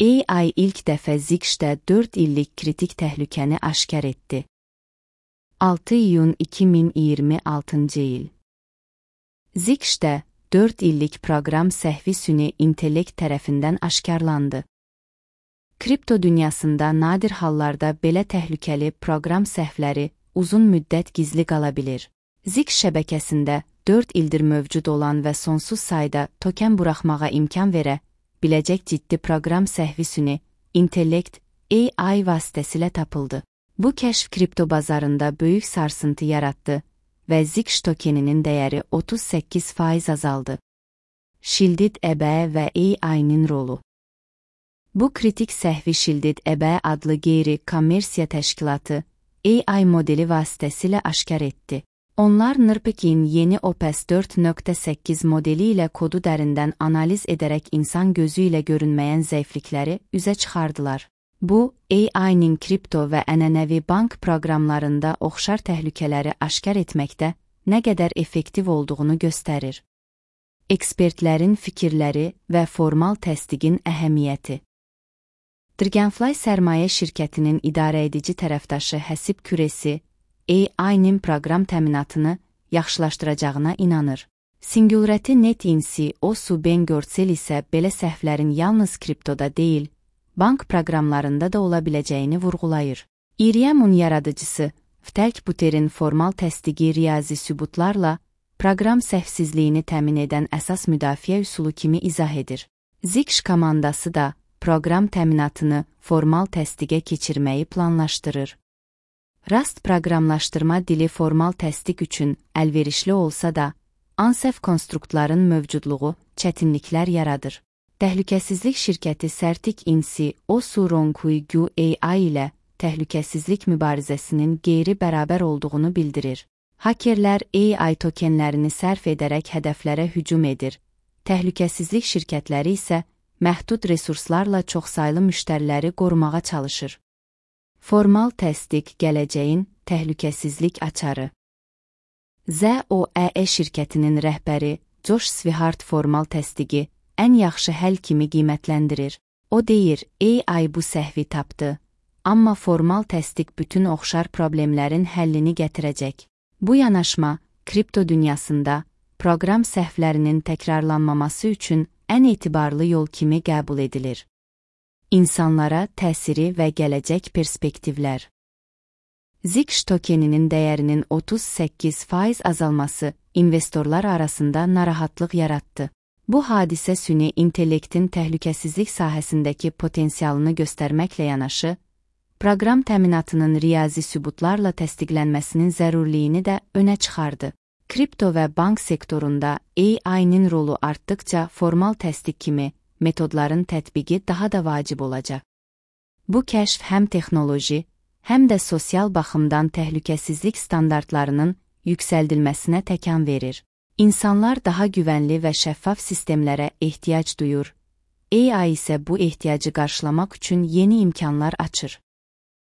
AI ilk dəfə Zixch'də 4 illik kritik təhlükəni aşkar etdi. 6 iyun 2026 il. Zixch'də 4 illik proqram səhvi süni intellekt tərəfindən aşkarlandı. Kripto dünyasında nadir hallarda belə təhlükəli proqram səhvləri uzun müddət gizli qala bilir. Zixch şəbəkəsində 4 ildir mövcud olan və sonsuz sayda token buraxmağa imkan verə biləcək ciddi proqram səhvi süni intellekt AI vasitəsilə tapıldı. Bu kəşf kripto bazarında böyük sarsıntı yaratdı və Zixch tokeninin dəyəri 38% azaldı. Shielded EB və AI'nin rolu. Bu kritik səhvi Shielded EB adlı qeyri-kommersiya təşkilatı AI modeli vasitəsilə aşkar etdi. Onlar NRPK'in yeni OPS 4.8 modeli ilə kodu dərindən analiz edərək insan gözü ilə görünməyən zəiflikləri üzə çıxardılar. Bu, AI'nin kripto və ənənəvi bank proqramlarında oxşar təhlükələri aşkar etməkdə nə qədər effektiv olduğunu göstərir. Ekspertlərin fikirləri və formal təsdiqin əhəmiyyəti. Dragonfly sərmayə şirkətinin idarəedici tərəfdaşı Həsib Küresi, AI'nin proqram təminatını yaxşılaşdıracağına inanır. Singularity Net CEO Ben Goertzel isə belə səhvlərin yalnız kriptoda deyil, bank proqramlarında da ola biləcəyini vurğulayır. Ethereum-un yaradıcısı Vitalik Buterin formal təsdiqi riyazi sübutlarla proqram səhvsizliyini təmin edən əsas müdafiə üsulu kimi izah edir. Zixch komandası da proqram təminatını formal təsdiqə keçirməyi planlaşdırır. Rust proqramlaşdırma dili formal təsdiq üçün əlverişli olsa da, ANSEF konstruktların mövcudluğu çətinliklər yaradır. Təhlükəsizlik şirkəti Certic CEO Ronquy Gu AI ilə təhlükəsizlik mübarizəsinin qeyri-bərabər olduğunu bildirir. Hakerlər AI tokenlərini sərf edərək hədəflərə hücum edir. Təhlükəsizlik şirkətləri isə məhdud resurslarla çoxsaylı müştəriləri qorumağa çalışır. Formal təsdiq gələcəyin təhlükəsizlik açarı. ZOE şirkətinin rəhbəri Josh Swihart formal təsdiqi ən yaxşı həll kimi qiymətləndirir. O deyir, AI bu səhvi tapdı, amma formal təsdiq bütün oxşar problemlərin həllini gətirəcək. Bu yanaşma, kripto dünyasında proqram səhvlərinin təkrarlanmaması üçün ən etibarlı yol kimi qəbul edilir. İnsanlara təsiri və gələcək perspektivlər. Zixch tokeninin dəyərinin 38% azalması investorlar arasında narahatlıq yaratdı. Bu hadisə süni intellektin təhlükəsizlik sahəsindəki potensialını göstərməklə yanaşı, proqram təminatının riyazi sübutlarla təsdiqlənməsinin zərurliyini də önə çıxardı. Kripto və bank sektorunda AI'nin rolu artdıqca formal təsdiq kimi metodların tətbiqi daha da vacib olacaq. Bu kəşf həm texnoloji, həm də sosial baxımdan təhlükəsizlik standartlarının yüksəldilməsinə təkan verir. İnsanlar daha güvənli və şəffaf sistemlərə ehtiyac duyur. AI isə bu ehtiyacı qarşılamaq üçün yeni imkanlar açır.